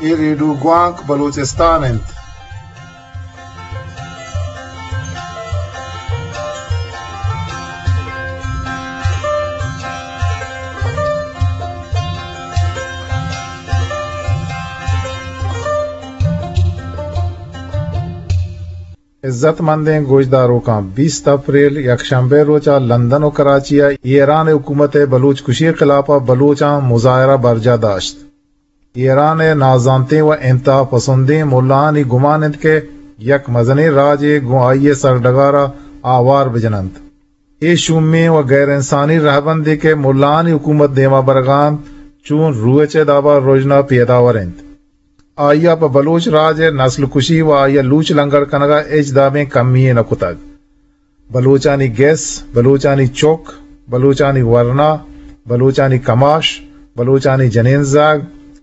اے ریڈیو گوانک بلوچستان انت۔ عزت مندیں گوشداروکاں، بیست اپریل یکشنبے روچ ءَ لندن ءُ کراچی ءَ ایران ءِ حکومت ءِ بلوچ کشی ءِ خلاف ءَ بلوچاں مظاہرہ برجاہ داشت۔ ایران ءِ نازانتیں ءُ انتہا پسندیں ملاہانی گمان انت کہ یک مزنیں راجے گوں آئی ءِ سرڈگار ءَ آوار بجن انت۔ اے شومیں ءُ غیر انسانی رہبندے کہ ملاہانی حکومت دیما برگ ءَ انت، چون روچ ءِ داب ءَ رژنا پیداور انت۔ آئی ءَ پہ بلوچ راج ءِ نسل کشی ءُ آئی ءَ لوچ لنگڑ کنگ ءَ ہچ دابیں کمی یے نہ کتگ۔ بلوچانی گس، بلوچانی چک، بلوچانی ورنا، بلوچانی کماش، بلوچانی جنین زاگ،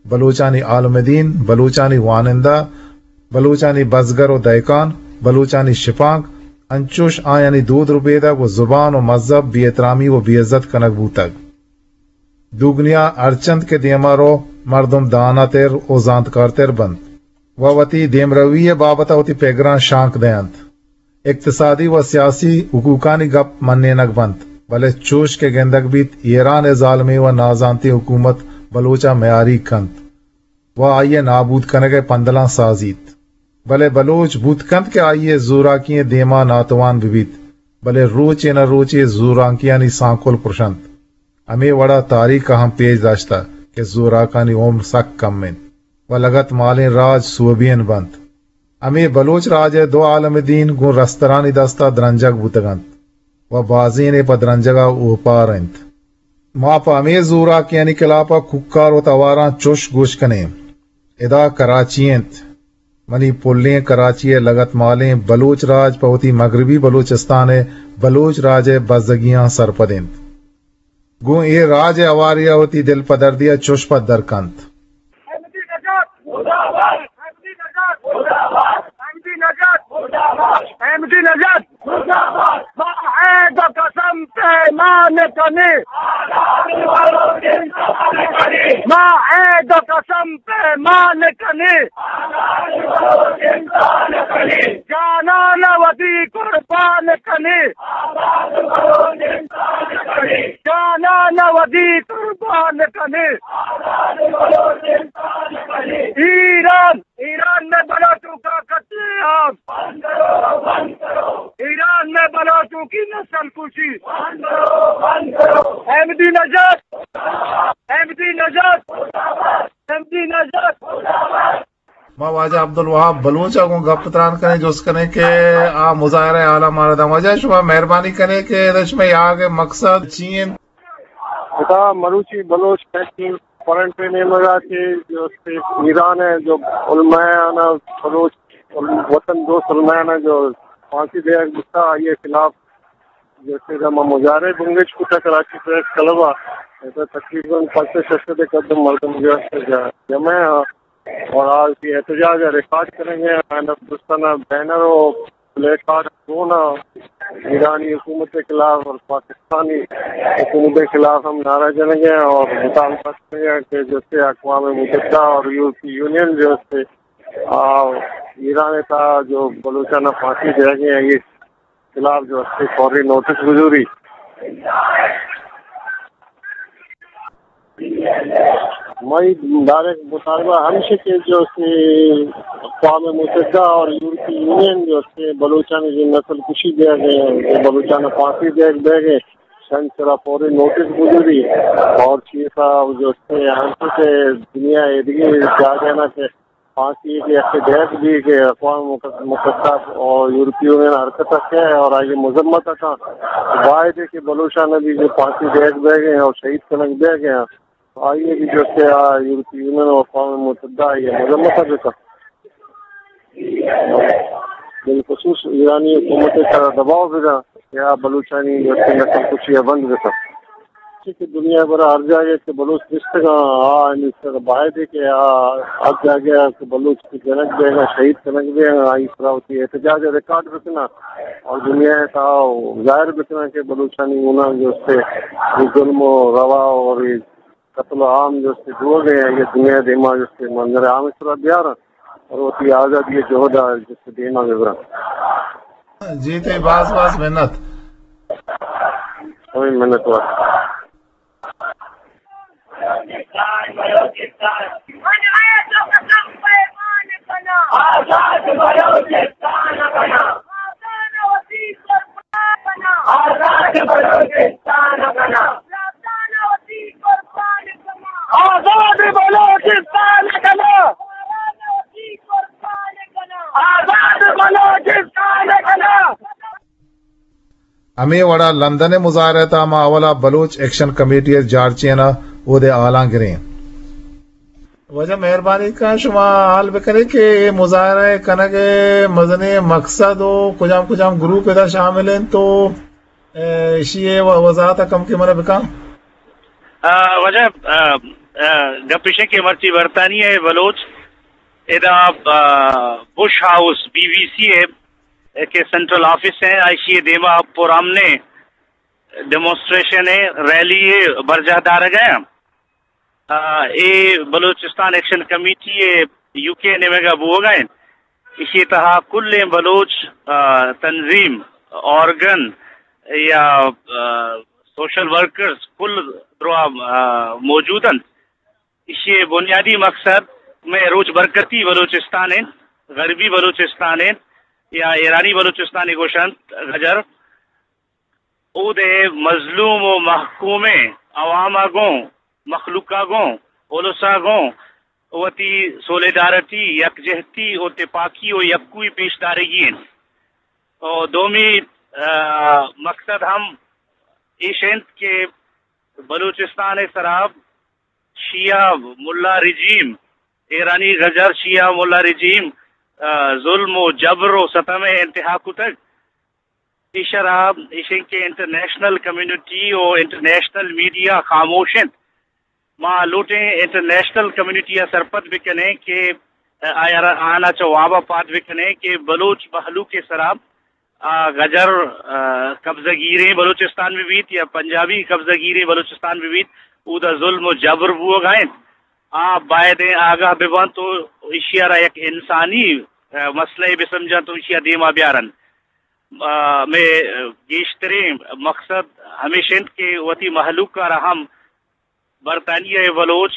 بلوچانی عالم دین، بلوچانی وانندہ، بلوچانی بزگر ءُ دہکان، بلوچانی شپانک، انچوش آیانی دود ربیدگ ءُ زبان ءُ مذہب بے احترامی ءُ بے عزت کنگ بوتگ۔ دوگنیا ہرچنت کہ دیما رو، مردم داناتر ءُ زانتکارتر بنت ءُ وتی دیمروی ءِ بابت ءَ وتی پگراں شانک دئینت۔ اقتصادی ءُ سیاسی حقوقانی گپ منینگ بنت، بلے چوش کہ گندگ بیت، ایران ءِ ظالمیں ءُ نازانتیں حکومت بلوچ ءَ میاریگ کنت ءُ آئی ءِ نابود کنگ ءِ پندلاں سازیت۔ بلے بلوچ بوت کنت کہ آئی ءِ زوراکی ءِ دیما ناتوان بہ بیت، بلے روچے نہ روچے زوراکیانی سانکل پرشنت۔ ہمے وڑ ءَ تاریخ ءَ ہم پیش داشتہ کہ زوراکانی عمر سک کم انت ءُ لگت مالیں راج سوبین بنت۔ ہمے بلوچ راج ءِ دو عالم دین گوں رسترانی دست ءَ درنجگ بوتگ انت ءُ بازینے پہ درنجگ ءَ اوپار انت۔ ما پہ ہمے زوراکیانی خلاف ءَ کوکار ءُ تواراں چوش گوش کنیں۔ ادا کراچی انت۔ منی پلیں کراچی ءِ لگت مالیں بلوچ راج پہ وتی مغربی بلوچستان ءِ بلوچ راج ءِ بزگیاں سرپد انت۔ گوں اے راج ءِ ہواری ءَ وتی دل پدردی ءَ چوش پدر کنت۔ احمدی نژاد! احمدی نژاد! احمدی نژاد! ما عہد ءُ قسم پیمان کنیں۔ ما عہد ءُ قسم پیمان کنیں۔ جانان ودی قربان کنیں۔ جانان ودی قربان کنیں۔ ایران، ایران میں بلوچوں کا قتل عام۔ ایران میں بلوچوں کی نسل کشی۔ احمدی نژاد، احمدی نژاد، احمدی نژاد۔ ما واجہ عبدالوہاب بلوچ ءَ گوں گپ تران کنیں، جست کنیں کہ آ مظاہرہ ءِ حال ءَ مارا داں۔ واجہ، شما مہربانی کنیں کہ ادا شمئے آیگ ءِ مقصد چی انت؟ ادا مروچی بلوچ نیشنل فرنٹ ءِ نیمگ ءَ کہ جو ایران ءِ جو علماء آناں، بلوچ وطن دوست علماء آناں جو پھانسی دیگ بوتا، آئی ءِ خلاف جو کہ ما مظاہرہ بنگیج کتا کراچی پریس کلب ءَ، ادا تقریباً پنچ سد شش سد ءِ قدر مردم جو است جمع ءَ۔ اور آ وتی احتجاج ءَ ریکارڈ کنگ ءَ، آیاں دوستانہ بینر ءُ پلے کارڈ گون ءَ ایرانی حکومت ءِ خلاف اور پاکستانی حکومت ءِ خلاف ہم نعرہ جنگ ءَ اور مطالبہ کنگ ءَ کہ جیسے اقوام متحدہ اور یورپی یونین جو ہے، آ، ایران ءِ تہا جو بلوچاں پھانسی دیگ ءَ، آئی ءِ خلاف جو است فوری نوٹس بزوری۔ مئی ڈائریکٹ مطالبہ ہمیش کہ جو کہ اقوام متحدہ اور یورپی یونین جو کہ بلوچانی جو نسل کشی دیگ ءَ، بلوچاں پھانسی دیگ بیگ ءَ، شنچ سرا فوری نوٹس بزوری اور چیز جو کہ ہم کہ دنیا ءِ دیگہ جاگہ نا کہ پھانسی کہ یک ڈیک بھی کہ اقوام متحدہ اور یورپی یونین حرکت ءَ کہ اور آئی مذمت ءَ کن۔ باید ہے کہ بلوچاں بھی جو پھانسی دیگ بیگ ءَ اور شہید کنگ بیگ ءَ، آئی بھی جو کہ آ یورپی یونین اور اقوام متحدہ آئی مذمت ءَ بکن۔ بالخصوص ایرانی حکومت ءِ سرا دباؤ بدا کہ آ بلوچانی جو کہ نسل کشی ءَ بند بکن۔ چہ کہ دنیا ءِ برا ہر جاگہ کہ بلوچ نشتگاں، آ ہمے سر باید ہے کہ آ ہر جاگہ کہ بلوچ کہ جنگ بیگاں، شہید کنگ بیگاں، آئی سرا وتی احتجاج ءَ ریکارڈ بکناں اور دنیا ءِ تہا ظاہر بکناں کہ بلوچانی گناہ جو است ظلم ءُ روا اور قتل عام جو است بوگ ءَ ایں، اگہ دنیا ءِ دیما جو است منظر عام ءِ سرا بیاراں اور وتی آزادی ءِ جہد ءَ جو است دیما ببراں۔ جی، تئی باز باز منت۔ ہمے منت وار۔ آزاد بلوچستان کنا۔ آزاد بلوچستان کنا۔ آزاد بلوچستان کنا۔ آزاد بلوچستان کنا۔ ہمے وڑا لندن ءِ مظاہرہ ءِ تہا ما اولا بلوچ ایکشن کمیٹی ءِ جارچین ءَ اودے حالاں گریں۔ واجہ مہربانی کن شما حال بکنیں کہ اے مظاہرہ ءِ کنگ ءِ مزنیں مقصد و کجام کجام گروپ ادا شامل انت و، اے، اشی ءِ و-، وضاحت ءَ کم کہ منا بکن۔ آ، واجہ، آ، آ، گپ اش کہ مرچی برطانیہ ءِ بلوچ ادا، آ، بش ہاؤس، بی بی سی ءِ کہ سینٹرل آفس ایں، ایشی ءِ دیما پرامنیں ڈیمونسٹریشن ءِ، ریلی ءِ برجاہ دارگ ءَ ایں۔ آ، اے بلوچستان ایکشن کمیٹی ءِ یو کے ءِ نیمگ ءَ بوگ ءَ ایں۔ ایشی ءِ تہا کلیں بلوچ، آ، تنظیم، آرگن یا، آ، سوشل ورکرز کل درا، آ، موجود انت۔ ایشی ءِ بنیادی مقصد مئے روچ برکتی بلوچستان انت، غربی بلوچستان انت یا ایرانی بلوچستان ءَ گوش انت گجر۔ اود ءِ مظلوم و محکومیں عوام ءَ گوں، مخلوق ءَ گوں، الس ءَ گوں وتی سولیڈارٹی، یکجہتی و تپاکی و یکوئی پیش دارگی انت۔ و دومی، آ، مقصد ہم ایش انت کہ بلوچستان ءِ سرا شیعہ ملا رجیم، ایرانی گجر شیعہ ملا رجیم، آ، ظلم و جبر و ستم ءَ انتہا کتگ۔ ایشرا ایش انت کہ انٹرنیشنل کمیونٹی و انٹرنیشنل میڈیا خاموش انت۔ ما لوٹیں انٹرنیشنل کمیونٹی ءَ سرپد بکنیں کہ آیارا، آناں چہ واب ءَ پاد بکنیں کہ بلوچ مہلوک ءِ سرا آ، گجر، آ، قبضہ گیریں بلوچستان بہ بیت یا پنجابی قبضہ گیریں بلوچستان بہ بیت، اودا ظلم و جبر بوگ ءَ انت۔ آ باید انت آگاہ بہ بنت و ایشی ءَ را یک انسانی، آ، مسئلہ بہ سمجھنت و ایشی ءَ دیما بیارنت۔ آ، مئے گیشتریں مقصد ہمیش انت کہ وتی مہلوک ءَ را ہم برطانیہ ءِ بلوچ،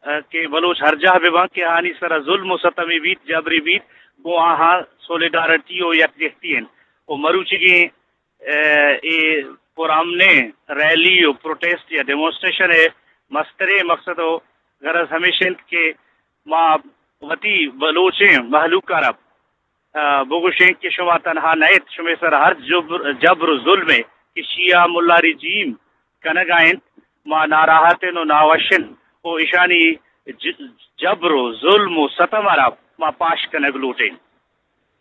آ، کہ بلوچ ہر جاہ بہ بنت کہ آہانی سرا ظلم و ستمے بیت، جبرے بیت، گوں آہاں سولیڈارٹی و یکجہتی انت۔ و مروچیگیں، آ، اے پرامنیں ریلی و پروٹیسٹ یا ڈیمونسٹریشن ءِ مستریں مقصد و غرض ہمیش انت کہ ما وتی بلوچیں مہلوک ءَ را آ، بگوشیں کہ شما تنہا نہ ات، شمے سر ہر جبر، جبر و ظلمے کہ شیعہ ملا رجیم کنگ ءَ انت، ما ناراحت ایں و ناوش ایں و ایشانی ج-، جبر و ظلم و ستم ءَ را ما پاش کنگ لوٹیں۔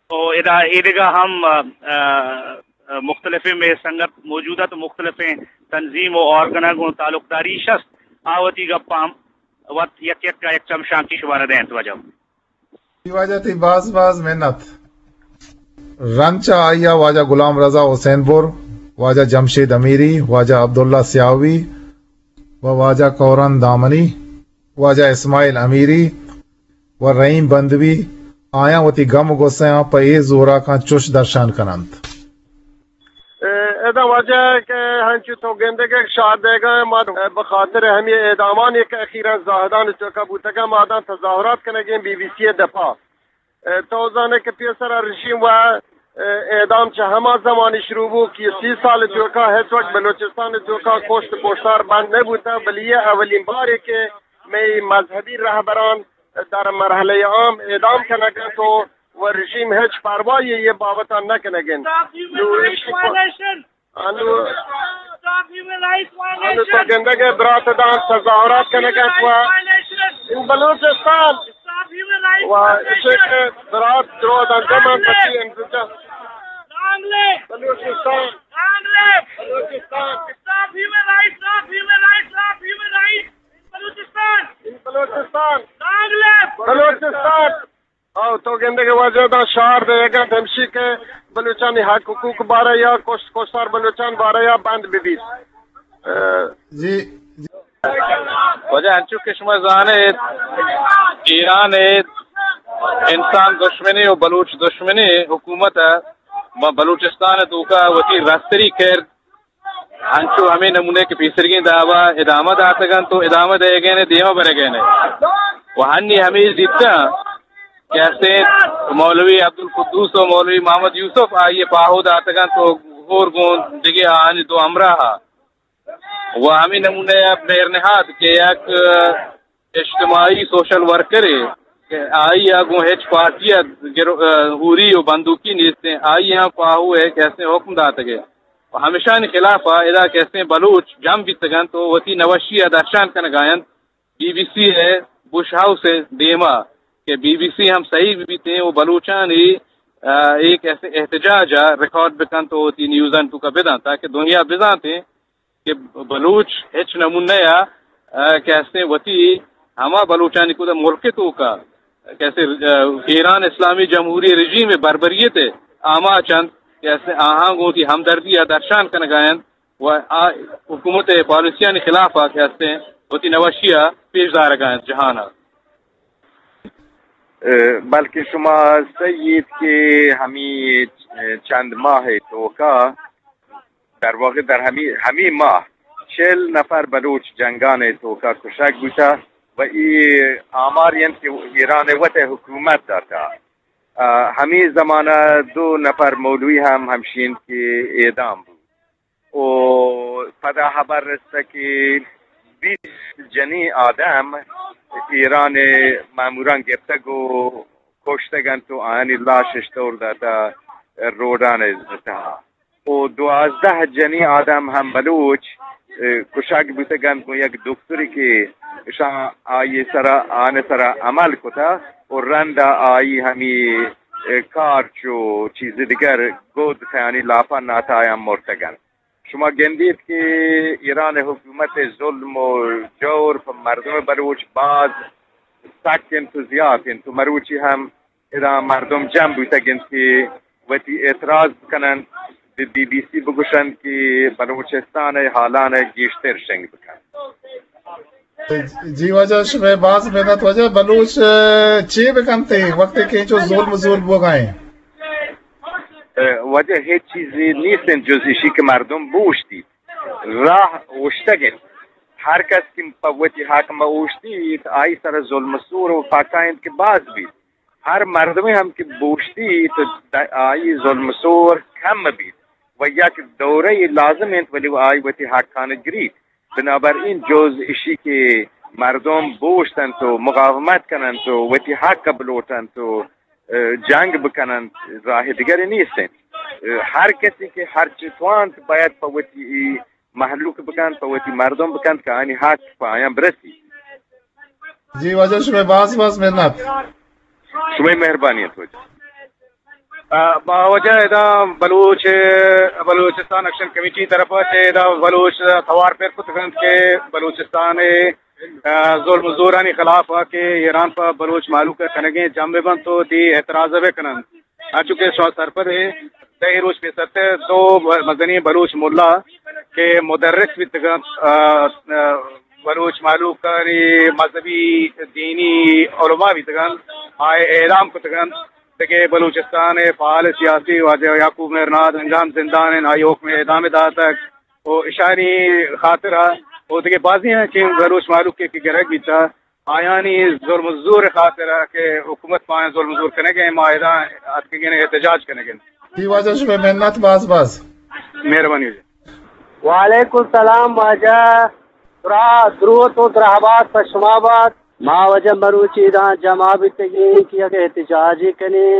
و ادا ایدگہ ہم، آ، آ، مختلفیں مئے سنگت موجود ات، مختلفیں تنظیم و آرگن ءَ گوں تعلقداری اش است، آ وتی گپاں وت یک یک ءَ یک چمشانکے شمارا دینت واجہ۔ واجہ تئی باز باز منت۔ رند چہ آئی ءَ واجہ غلام رضا حسین بر، واجہ جمشید امیری، واجہ عبداللہ سیاہوی و واجہ کورن دامنی، واجہ اسماعیل امیری و رحیم بندوی، آیاں وتی گم و غصہ آں پہ اے زوراکاں چش درشان کن انت۔ اے، ادا واجہ کہ ہنچو تو گندگ ءَ شہر دیگا ما بہ خاطر ہمے اعدامانی کہ اخیراً زاہدان توکا بوتگا، ما داں تظاہرات کنگیں بی بی سی ءِ دپا۔ اے، تو زانے کہ پیسرا رژیم و، اے، اعدام چہ ہما زمانی شروع بو کہ سی سال توکا ہچ وقت بلوچستان توکا کشت کشتار بند نہ بوتا، بلے اے اولین بارے کہ مئے مذہبی رہبران در مرحلہ عام اعدام کنگ انت و، و رژیم ہچ پرواہی اے بابت ءَ نہ کنگ انت۔ نو ایشی کو-، انو، انو تو گندگ ءَ برات داں تظاہرات کنگ انت و این بلوچستان و ایشی کہ برات درو داں دمن پتی انتظار۔ بلوچستان، بلوچستان، بلوچستان۔ این بلوچستان۔ بلوچستان۔ او تو گندگ ءَ واجہ داں شہر دیگ انت ہمشی کہ بلوچانی حق حقوق بارہ یا کشت کشتار بلوچان بارہ یا بند بہ بیت۔ اے، جی، جی۔ واجہ، انچو کہ شما زان ایت، ایران ءِ انسان دشمنیں و بلوچ دشمنیں حکومت ءَ ما بلوچستان ءِ توکا وتی رستری کرد انچو ہمے نمونے کہ پیسرگیں دابا ادامہ داتگ انت و ادامہ دئیگ ءَ انت، دیما برگ ءَ انت۔ و ہنی ہمے زیتاں کہ ہستیں مولوی عبدالقدوس و مولوی محمد یوسف آئی ءَ پاہو داتگ انت و ہور گوں دگہ آہانی دو ہمراہ ءَ و ہمے نمونے ءَ مہر نہاد کہ یک اجتماعی سوشل ورکرے کہ آئی ءَ گوں ہچ پارٹی ءَ گر-، ہوری و بندوکی نیستیں، آئی ءَ پاہو ءِ کہ ہستیں حکم داتگ ءَ و ہمشانی خلاف ءَ ادا کہ ہستیں بلوچ جم بیتگ انت و وتی نوشی ءَ درشان کنگ ءَ انت بی بی سی ءِ بش ہاؤس ءِ دیما کہ بی بی سی ہم صحیح بہ بیتیں و بلوچانی، آ، اے کہ ہستیں احتجاج ءَ ریکارڈ بکنت و وتی نیوزانی توکا بدنت تاکہ دنیا بزانتیں کہ بلوچ ہچ نمونہ ءَ، آ، کہ ہستیں وتی ہما بلوچانی کد ءَ ملک ءِ توکا کہ ہستیں، آ، ایران اسلامی جمہوری رژیم ءِ بربریت ءِ آماچ انت کہ ہستیں آہاں گوں وتی ہمدردی ءَ درشان کنگ ءَ انت و آ حکومت ءِ پالیسیانی خلاف ءَ کہ ہستیں وتی نوشی ءَ پیش دارگ ءَ انت جہان ءَ۔ اے، بلکیں شما سہی ایت کہ ہمے چند ماہ ءِ توکا در واقع در ہمے، ہمے ماہ چل نفر بلوچ جنگان ءِ توکا کشگ بوتہ و اے آمارے انت کہ ایران ءِ وت ءِ حکومت داتہ۔ آ، ہمے زمانہ دو نفر مولوی ہم ہمشی انت کہ اعدام بوت و پدا ہبر رستہ کہ بیست جنیں آدم ایران ءِ ماموراں گپتگ و کشتگ انت و آیانی لاش اشتور داتہ روڈان ءِ تہا۔ و دوازدہ جنیں آدم ہم بلوچ، اے، کشگ بوتگ انت گوں یک دکترے کہ اشاں آئی سرا، آن سرا عمل کتہ و رندا آئی ہمی، اے، کارچ و چیز دگر گود تیانی لاپا ناتایاں مرتگ انت۔ شما گندیت کہ ایران حکومت ظلم و جور پہ مردم بلوچ باز سک انت و زیات انت و مروچی ہم ادا مردم جم بوتگ انت کہ وتی اعتراض بکننت، بہ بی بی سی بگوشنت کہ بلوچستان ءِ حالان ءَ گیشتر شنگ بکنت۔ جی واجہ، شمئے باز منت واجہ۔ بلوچ، ءَ، چے بکنت وقتی کہ انچو ظلم زور بوگا ایں؟ ءَ، واجہ، ہچ چیزے نیست انت جز اشی کہ مردم بوشتیت۔ راہ اوشتگ انت۔ ہر کس کہ پہ وتی حق مہ اوشتیت، آئی سر ظلم زور و پاکا انت کہ باز بیت۔ ہر مردمے ہم کہ بوشتی تو د-، آئی ظلم زور کم بیت و یک دورہ لازم انت، ولی آئی وتی حقان گریت۔ بنابراین جز اشی کہ مردم بوشتنت و مقاومت کننت و وتی حق بلوٹنت و، اه، جنگ بکننت، راہ دگرے نیست انت۔ اه، ہر کسی کہ ہرچی توانت باید پہ وتی مہلوک بکنت، پہ وتی مردم بکنت کہ آنی حق پہ آیاں برسی۔ جی واجہ، شمئے باز باز منت۔ شمئے مہربانی انت واجہ۔ آ، با واجہ ادا بلوچ، بلوچستان ایکشن کمیٹی طرف ءَ چہ ادا بلوچ توار پر کتگ انت کہ بلوچستان ءِ، آ، ظلم و زورانی خلاف ءَ کہ ایران پہ بلوچ مہلوک ءَ کنگیں جم بہ بنت و دی اعتراض بہ کننت۔ انچو کہ شما سرپد ایں، دہ روچ پیسرتر دو مزنیں بلوچ ملا کہ مدرس بیتگ انت، آ، آ، بلوچ مہلوکانی مذہبی دینی علماء بیتگ انت، آئے اعدام کتگ انت۔ دگہ بلوچستان ءِ فعال سیاسی واجہ یعقوب مہرناز انگام زندان انت، آئی حکم اعدام داتگ۔ و اشانی خاطر ءَ و دگہ بازیں ہنچیں بلوچ مہلوک کہ گرگ بیتہ، آیانی ظلم و زور خاطر ءَ کہ حکومت پہ آیاں ظلم و زور کنگ ءَ، ما ادا اتکگیں احتجاج کنگ ءَ۔ جی واجہ، شمئے منت باز باز۔ مہربانی واجہ۔ وعلیکم السلام واجہ، ترا دروت و درہبات پہ شما بات۔ ما واجہ مروچی ادا جمع بیتگیں کہ یک احتجاجے کنیں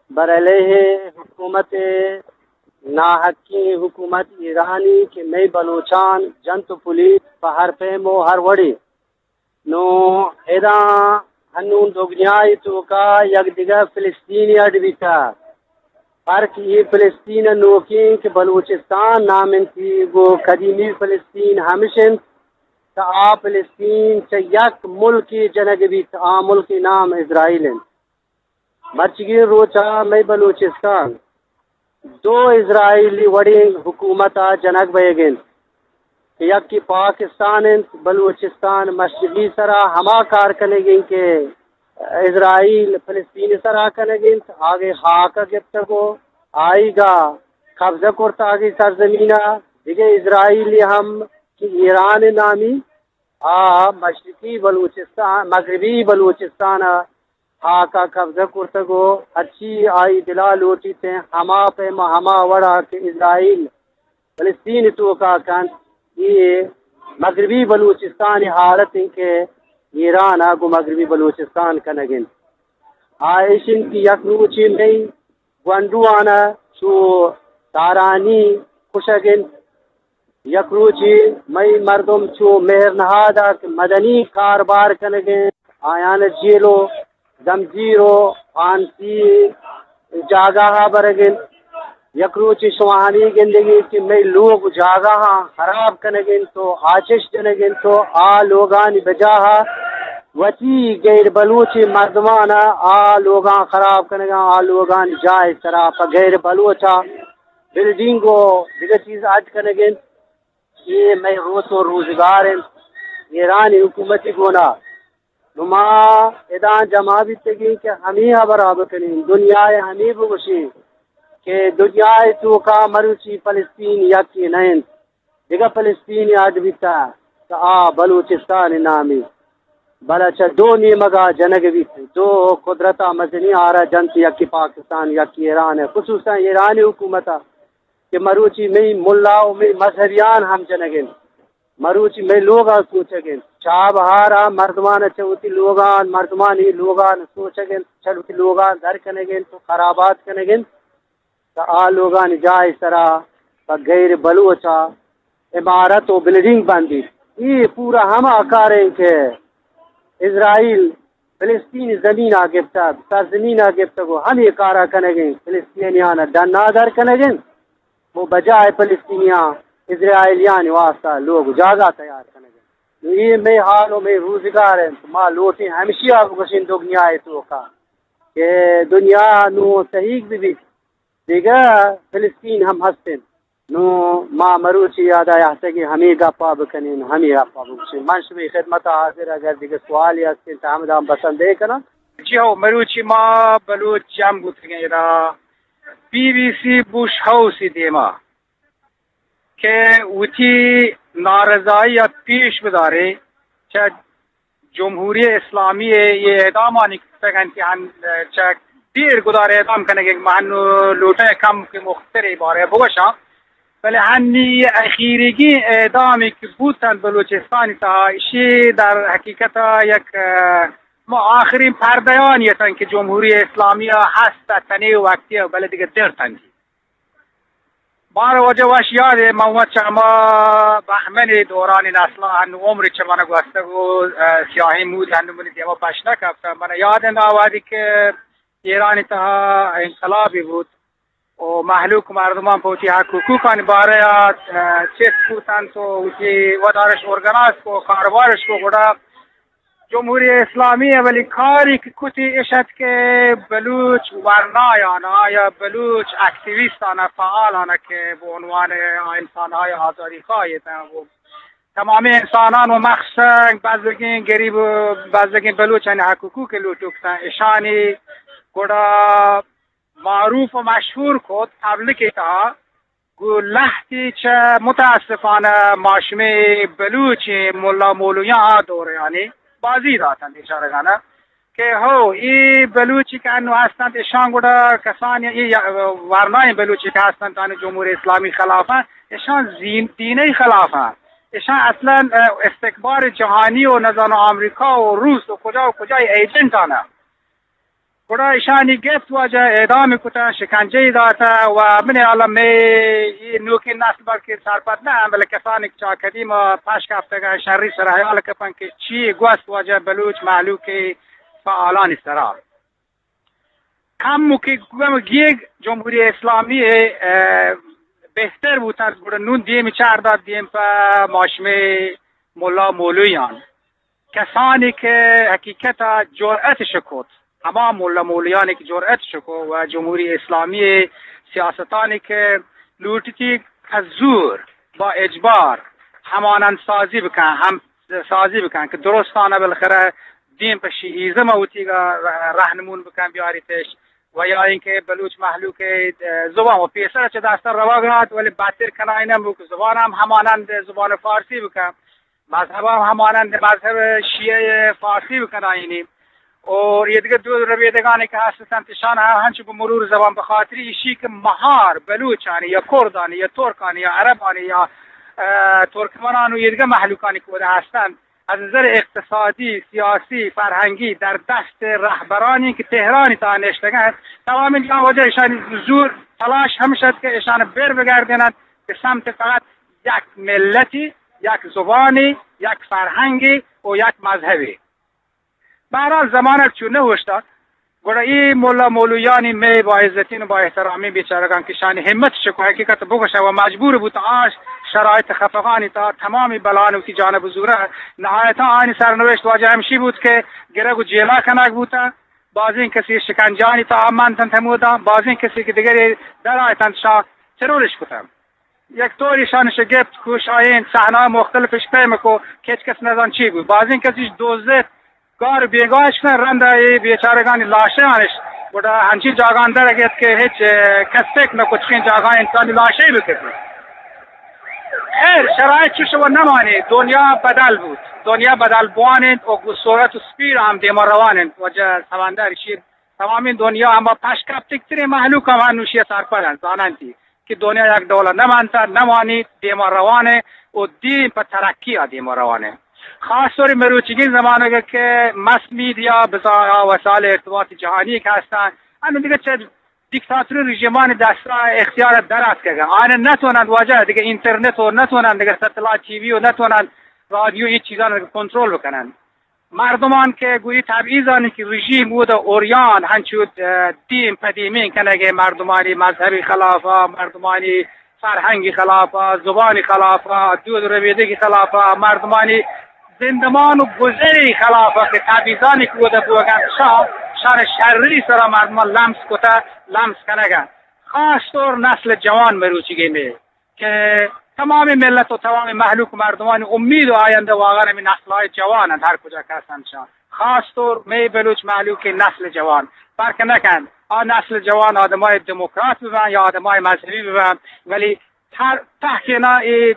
بر علیہ حکومت، ناحقیں حکومت ایرانی کہ مئے بلوچان جنت و پلیت پہ ہر پیم و ہر وڑے۔ نوں ادا ہنون دگنیا ءِ توکا یک دگہ فلسطینے اڈ بیتہ۔ پرک اے فلسطین ءِ نوکیں کہ بلوچستان نام انت، گوں قدیمی فلسطین ہمش انت، تہ آ فلسطین چہ یک ملکے جنگ بیت، آ ملک ءِ نام اسرائیل انت۔ مرچیگیں روچ ءَ مئے بلوچستان دو اسرائیلی وڑیں حکومت ءَ جنگ بئیگ انت۔ کہ یکے پاکستان انت، بلوچستان مشرقی سرا ہما کار کنگ انت کہ اسرائیل فلسطین سرا کنگ انت، آگے خاک گپتگ و آئیگا قبضہ کرتا آگے سرزمینا۔ دگہ اسرائیل ہم کہ ایران نامی آ مشرقی بلوچستان، مغربی بلوچستان ء ہاک ء قبضہ کرتگ و ہرچی آئی دل ء لوٹیت انت، ہما پیم ء ہما وڑ ء کہ اسرائیل فلسطین ء توک ء کنت، اے مغربی بلوچستان ء حالت انت کہ ایران ء گوں مغربی بلوچستان کنگ انت۔ آ ایش انت کہ یک روچے مئی گونڈوان ء چو تارانی کشگ انت، یک روچے مئی مردم چو مہر نہاد ء کہ مدنی کاربار کنگ ء انت، آیان ء جیل و زمزیر و پھانسی جاگہ ء برگ ء انت۔ یک روچے شما ہمے گندگ ء کہ مئی لوگ و جاگہاں خراب کنگ ء انت و آچش جنگ ء انت و آ لوگانی بجاہ ء وتی غیر بلوچیں مردمان ء آ لوگاں خراب کنگ ء آ لوگانی جاہ ء سرا پہ غیر بلوچ ء بلڈنگ و دگہ چیز اڈ کنگ ء انت۔ اے مئے روچ و روزگار انت ایرانی حکومتی گونا۔ نو ما ادا جمع بیتگیں کہ ہمے ہبرا بکنیں، دنیا ء ہمے بگوشیں کہ دنیا ء توکا مروچی فلسطین یکے نہ انت، دگہ فلسطین اڈ بیتا کہ آ بلوچستان نامی، بلے چہ دو نیمگا جنگ بیت، دو قدرتا مزنی آرا جنت، یکی پاکستان، یکی ایران ء، خصوصا ایرانی حکومت ء کہ مروچی مئی ملا و مئی مذہبیان ہم جنگ انت، مروچی مئی لوگاں سوچگ انت، چابہارا مردمان چہ وتی لوگان، مردمانی لوگان سوچگ انت، چہ وتی لوگان در کنگ انت و خرابات کنگ انت، تہ آ لوگانی جاہ سرا پہ غیر بلوچا عمارت و بلڈنگ بندیت۔ اے پورا ہما کار انت کہ اسرائیل فلسطین زمین ء گپتگ، سرزمین ء گپتگ و ہمے کار ء کنگ ء انت، فلسطینیان ء ڈن ء در کنگ ء انت و بجائے فلسطینیاں اسرائیلیانی واسطہ لوگ و جاگہ تیار کنگ ء انت۔ نو اے مئے حال و مئے روزگار انت، ما لوٹیں ہمشی ء بگوشیں دگنیا ء توکا کہ دنیا نو تحیگ بہ بیت، دگہ فلسطین ہم ہست انت۔ نوں ما مروچی یاد ء یاتگیں ہمے گپ ء بکنیں، ہمے گپ ء بگوشیں۔ من شمئے خدمت ء حاضر، اگر دگہ سوالے ہستیں تہ ہمدا بسندے کناں۔ جی ہو، مروچی ما بلوچ جم بوتگیں ادا بی بی سی بش ہاؤس ء دیما کہ وتی نارضائی ء پیش بدارے چہ جمہوری اسلامی ء اے اعدامانی کتگ انت کہ ہن چہ دیر گدار اعدام کنگ ء من لوٹاں کم کہ مختصر ء بارہ ء بگوشاں، بلے ہنی اخیریگیں اعدامی کہ بوت انت بلوچستانی تہا، ایشی در حقیقت ء یک، ء، ما آخرین پردیانی اتن کہ جمہوری اسلامی ء ہست ء تنے وقتی ء بلے دگہ در تنگی۔ مارا واجہ وش یاد ء، من وت چہ ہما بہمن ء دورانی نسل آں، ہنو عمر چہ من گوستگ و، ء، سیاہیں مود ہنو منی دیما پش نہ کپتہ۔ من یاد انت آ وہدی کہ ایرانی تہا انقلابی بوت و مہلوک مردمان پہ وتی حق حقوقانی بارہ ء، ء، چست بوتنت و وتی ودارش ارگنائز کو، کاروبارش کو، گڑا جمہوری اسلامی اولی کاری کہ کتی اش ات کہ بلوچ ورنایان یا بلوچ اکتیویستان فعالان کہ بہ عنوان انسان‌های آزادی‌خواه اتن و تمامی انسانان و مخصوصاً بزگیں گریب و بزگیں بلوچانی حق حقوق لوٹوک اتن، اشانی گڑا معروف و مشہور کت پبلک تہا۔ گوں لہتے چہ متاسفانہ ما شمے بلوچیں ملا مولویاں آ دور یعنی بازی داتنت اشارگانہ کہ ہو اے بلوچی کہ انو ہستنت اشان گڑا کسانی اے ورنائیں بلوچی کہ ہستنت آنی جمہوری اسلامی خلاف انت، اشان زین دینی خلاف انت، اشان اصلاً استکبار جہانی و نزانو آمریکا و روس و کجا و کجای ایجنٹ آنہ۔ گڑا ایشانی گپت واجہ اعدام کتہ، شکنجہ داتہ و من الان مئے اے نوکیں نسل بلکہ سرپد نہ انت، بلے کسانی کہ چہ قدیم پش کپتگ انت، شری سر حیال کپن کہ چی گوست واجہ بلوچ مہلوک فعالانی سرا۔ کم کہ گم گیگ جمہوری اسلامی، اه، بہتر بوتنت، گڑا نون دیم چار دات دیم پہ ما شمے ملا مولویان۔ کسانی کہ حقیقت ء جرأت شکوت، ہما ملا مولیانی کہ جرأت شکو و جمہوری اسلامی سیاستانی کہ لوٹتی کہ زور با اجبار ہمانند سازی بکن، ہم سازی بکن کہ درستانہ بالاخرہ دین پہ شیعیزم وتی رہنمون بکن بیاریتش، و یا اینکہ بلوچ مہلوک زبان و پیسر چہ دستان روگ ات، ولی بدتر کنائینہ بو کہ زبان ہم ہمانند زبان فارسی بکن، مذہب ہم ہمانند مذہب شیعہ فارسی بکنائینی۔ اور یہ دیگہ دود ربیدگانی کہ ہستن، تشان ہنچو بہ مرور زبان، بخاطر ایشی کہ مہار بلوچانی یا کردانی یا ترکانی یا عربانی یا، اه، ترکمنان و یہ دیگہ مہلوکانی کہ ودا ہستن، از نظر اقتصادی، سیاسی، فرہنگی در دست رہبرانی کہ تہرانی تا نشتگن، تمام جا وجہ ایشانی زور تلاش ہمشد کہ ایشان بر بگردینن کہ سمت فقط یک ملتی، یک زبانی، یک فرہنگی و یک مذہبی۔ بہرحال زمانگ چو نہ اوشتات، گڑا اے ملا مولویانی مئے با عزتین و با احترامین بیچارگان کہ شانی ہمت شکو حقیقت بگوشن و مجبور بوت آ شرایط خفقانی تا تمامی بلان وتی جانب زورہ۔ نہایتا آنی سرنوشت واجہ ہمشی بوت کہ گرگ و جیلا کنگ بوتن، بازین کسی شکنجانی تا منتن تمودا، بازین کسی کہ دگری در آیتن شا ترورش کتن۔ یک طوری شانش گپت، کوشائین صحنہ مختلفش پیم کو، کہ ہچ کس نزان چی بو۔ بازین کسیش دوزت، گار بیگاہش کن، رند ای بیچارگانی لاشانش گڑا ہنچی جاگان در گیت کہ ہچ، اه، کس فکر نہ کت چکین جاگاہ انسانی لاشے بکتی۔ خیر، شرایط چوش و نمانی، دنیا بدل بود، دنیا بدل بوان انت و گو سرعت و سپیڈ ہم دیما روان انت۔ واجہ سمندر شیر تمامین دنیا ہما پشکپتگترین مہلوک ہم انوشی سرپد انت، زاننتی کہ دنیا یک ڈول نہ منت، نہ مانی، دیما روان انت و دین پہ ترقی آ دیما روان انت۔ خاص طور مروچیگین زمانگ کہ مس میڈیا بزاں آ وسائل ارتباط جہانی کہ ہستن، انو دیگہ چہ دیکتاتوری رژیمان دستا اختیار در آتکگ۔ آن نتونند واجہ دیگہ اینترنت و نتونند دیگہ ستلائٹ ٹی وی و نتونند رادیو، اے چیزان کنٹرول بکنند۔ مردمان کہ گوئی تبعیضانی کہ رژیم بود اوریان ہنچو، اه، دیم پہ دیمین کنگے، مردمانی مذہبی خلافا، مردمانی فرہنگی خلافا، زبانی خلافا، دود ربیدگی خلافا، مردمانی زندمان و گزری خلافا کہ تبعیضانی کہ بودا بوگن، شان، شان شری سرا مردمان لمس کتا، لمس کنگن۔ خاص طور نسل جوان مروچیگی میں کہ تمام ملت و تمام مہلوک مردمانی امید و آیندہ واقعاً ہمیں نسل‌های جوان انت، ہر کجا کہ ہستن شان۔ خاص طور مئے بلوچ مہلوک نسل جوان فرق نکن، آ نسل جوان آدمای دموکرات ببن یا آدمای مذہبی ببن، ولی ہر تحقینا ای،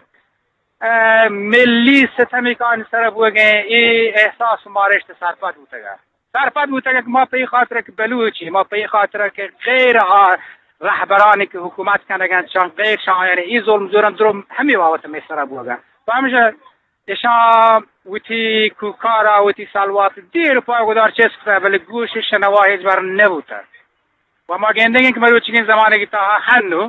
اه، ملی ستمی کہ آنی سر بوگیں، ای احساس و مارشت سرپد بوتگا۔ سرپد بوتگ کہ ما پہ ای خاطر کہ بلوچی، ما پہ ای خاطر کہ غیر آ رہبرانی کہ حکومت کنگ انت، شان غیر شان، یعنی ای ظلم زورن درو ہمی بابت میں سرا بوگا۔ تو ہمیشہ اشان وتی کوکارا، وتی سلوات دیر پای گدار چست کتا، بلے گوش شنوا ہچ بر نبوتا۔ و ما گندگیں کہ مروچیگیں زمانگی تہا ہنو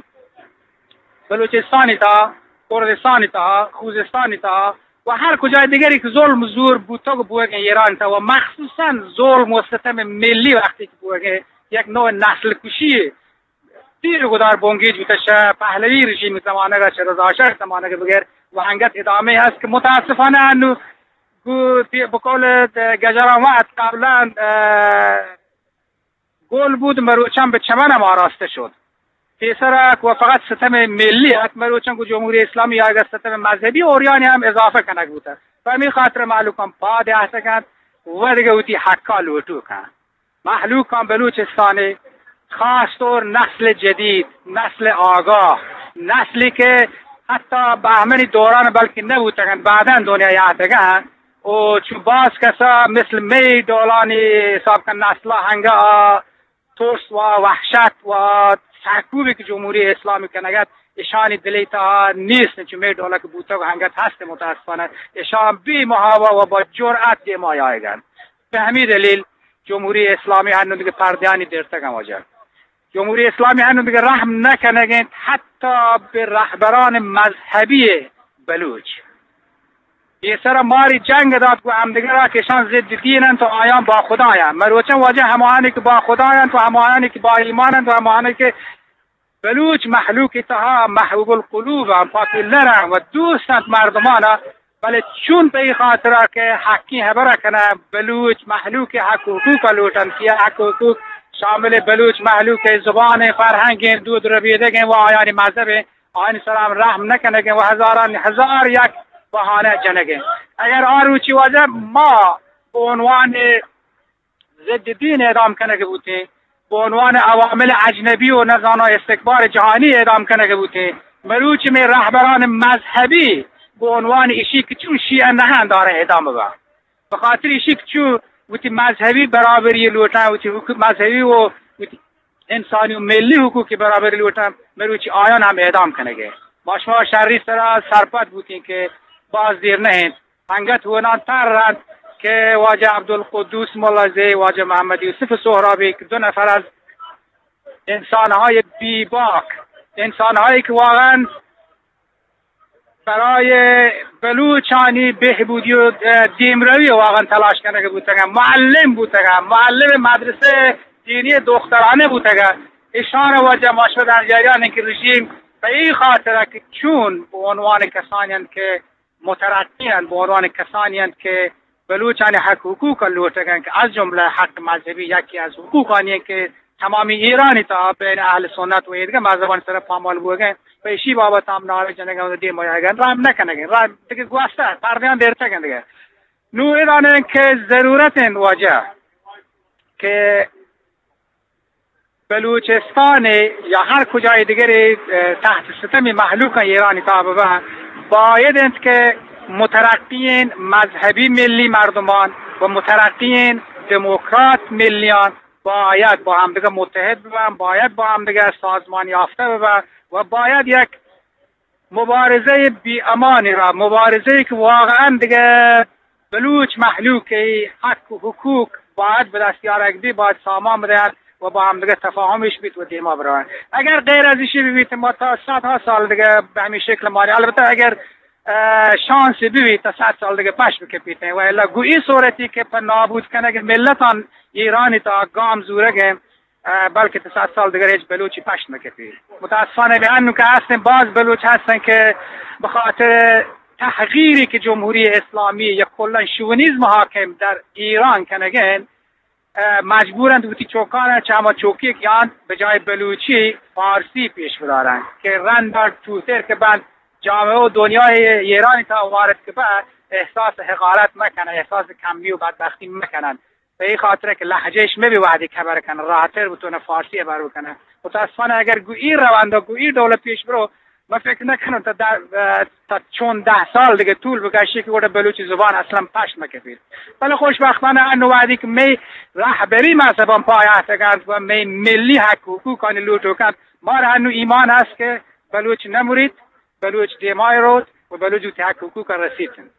بلوچستانی تہا، کردستانی تہا، خوزستانی تہا و ہر کجای دیگری کہ ظلم زور بوتگ و بوگیں ایران تہا و مخصوصاً ظلم و ستم ملی وقتی کہ بوگیں یک نوع نسل کشی دیر گدار بنگیج بوتہ شہ پہلوی رژیم زمانگ، شہ رضا شاہ زمانگ بگر و انگت ادامہ ہست کہ متاسفانہ انو گو-، بقول گجران وقت قبلاً، اه، گل بود مروچان بہ چمن ہم آراسته شد. پیسرا کہ و فقط ستم ملی ات، مروچان گو جمهوری اسلامی یا اگر ستم مذهبی اوریانی ہم اضافه کنگ بوتہ. پہ ہمے خاطر مہلوکان پاد آتکنت و دگہ وتی حقا لوٹوکاں. مہلوکان بلوچستانی خاص طور نسل جدید، نسل آگاہ، نسلی کہ حتی بہمنی دوران بلکہ نبوتگن، بعداً دنیا یاتگن. و چو باز کسا مثل می ڈولانی حساب کن نسلا ہنگا ترس و وحشت و سرکوبی کہ جمهوری اسلامی کنگت اشانی دلی تہا نیست، چو می ڈولا کہ بوتگ و ہنگت ہست متاسفانہ. اشان بی محابا و با جرأت دیما آیگن. بہ ہمی دلیل جمهوری اسلامی ہنو دگہ پردیانی درتگن واجہ. جمهوری اسلامی ہنو دگہ رحم نکنگین حتی بہ رہبران مذهبی بلوچ. پیسرا ماری جنگ دات گو ہمدگرا کہ اشان ضد دین انت و آیان با خدایان. مروچان واجہ ہمایانی کہ با خدایان و ہمایانی کہ با ایمان انت و ہمایانی کہ بلوچ مہلوک تہا محبوب القلوب انت، پاپولر انت و دوست انت مردمانا، بلے چون پہ ای خاطرا کہ حقی ہبرا کنن، بلوچ مہلوک حق و حقوق لوٹن، کہ حق و حقوق شامل بلوچ مہلوک زبان، فرہنگ، دود ربیدگ و آیانی مذہب، آیانی سرا ہم رحم نکنگ و ہزاران ہزار یک بہانہ جنگ ء۔ اگر آ روچی واجہ ما بہ عنوان ضد دین اعدام کنگ بوتیں، بہ عنوان عوامل اجنبی و نزاناں استکبار جہانی اعدام کنگ بوتیں، مروچی مئے رہبران مذہبی بہ عنوان ایشی کہ چون شیعہ نہ انت دارہ اعدام بہ۔ بہ خاطر ایشی کہ چون وتی مذہبی برابری لوٹاں، وتی حقوق مذہبی و وتی انسانی و ملی حقوق برابری لوٹاں، مروچی آیان ہم اعدام کنگ ء۔ ما شما شری سرا سرپد بوتیں کہ باز دیر نہ انت۔ انگت ہوناں تر انت کہ واجہ عبدالقدوس ملازی، واجہ محمد یوسف سہرابی کہ دو نفر از انسان‌های بی‌باک، انسان‌هایی که واقعاً برای بلوچانی بهبودی و، اه، دیمروی واقعاً تلاش کنگ بوتگن، معلم بوتگن، معلم مدرسه دینی دخترانه بوتگن. اشان واجہ ما شما در جریان انت که رژیم به این خاطر که چون به عنوان کسانی انت که مترقی انت، به عنوان کسانی انت که بلوچانی حق حقوق لوٹگ انت که از جمله حق مذہبی یکی از حقوقانی انت که تمامی ایرانی تا بین اہل سنت و ایدگہ مذہبانی سر پامال بوگ انت، پہ ایشی بابت ہم نعرہ جنگ انت و دیم آیگ انت، رحم نہ کنگ انت، رحم دگہ گوستہ پردیان دیرتگ انت دگہ۔ نوں اے دانیں کہ ضرورت انت واجہ کہ بلوچستان یا ہر کجای دیگری، اه، تحت ستمی مہلوکاں ایرانی تہا بباں، باید انت کہ مترقین مذہبی ملی مردمان و مترقین دموکرات ملیان باید با ہمدیگہ متحد بباں، باید با ہمدیگہ سازمان یافتہ بباں و باید یک مبارزهٔ بی‌امانی را، مبارزه‌ای که واقعاً دیگه بلوچ مهلوک حق و حقوق باید به دست یارگ بی، باید سامان بدهند و با هم دیگه تفاهمش بیت و دیما بروند. اگر غیر از ایشی ببیت، ما تا صدها سال دیگه به همین شکل مانی. البته اگر، اه، شانسی ببیت، تا صد سال دیگه پش بکپیت، و الا گو این صورتی که په نابود کنگ ملتان ایرانی تا گام زورگ، اه، بلکه تا صد سال دیگر هیچ بلوچی پشت نکپی. متاسفانه به انو که هستن، باز بلوچ هستن که به خاطر تحقیری که جمهوری اسلامی یا کلاً شوونیزم حاکم در ایران کنگن، اه، مجبورند وتی چوکان چه هما چوکی که آن به جای بلوچی فارسی پیش بدارند که رند توتر که بند جامعه و دنیای ایرانی تا وارد که به احساس حقارت مکنن، احساس کمی و بدبختی مکنن. به این خاطر که لهجه‌اش مبی وهدی که خبر کنه، راحت‌تر بتونه فارسی خبر بکنه. متاسفانه اگر گو این روند و گو این ڈول پیش برو، من فکر نکنم تا ده، اه، تا چون ده سال دیگه طول بکشه که گوڑا بلوچی زبان اصلاً پشت مکپید. بله خوشبختانه انو وهدی که می رهبری مذهبان پایه تگند و می ملی حق حقوقانی لوٹو کند، ما را انو ایمان هست که بلوچ نمرید، بلوچ دیمای روت و بلوچ وتی حق حقوق رسیتن.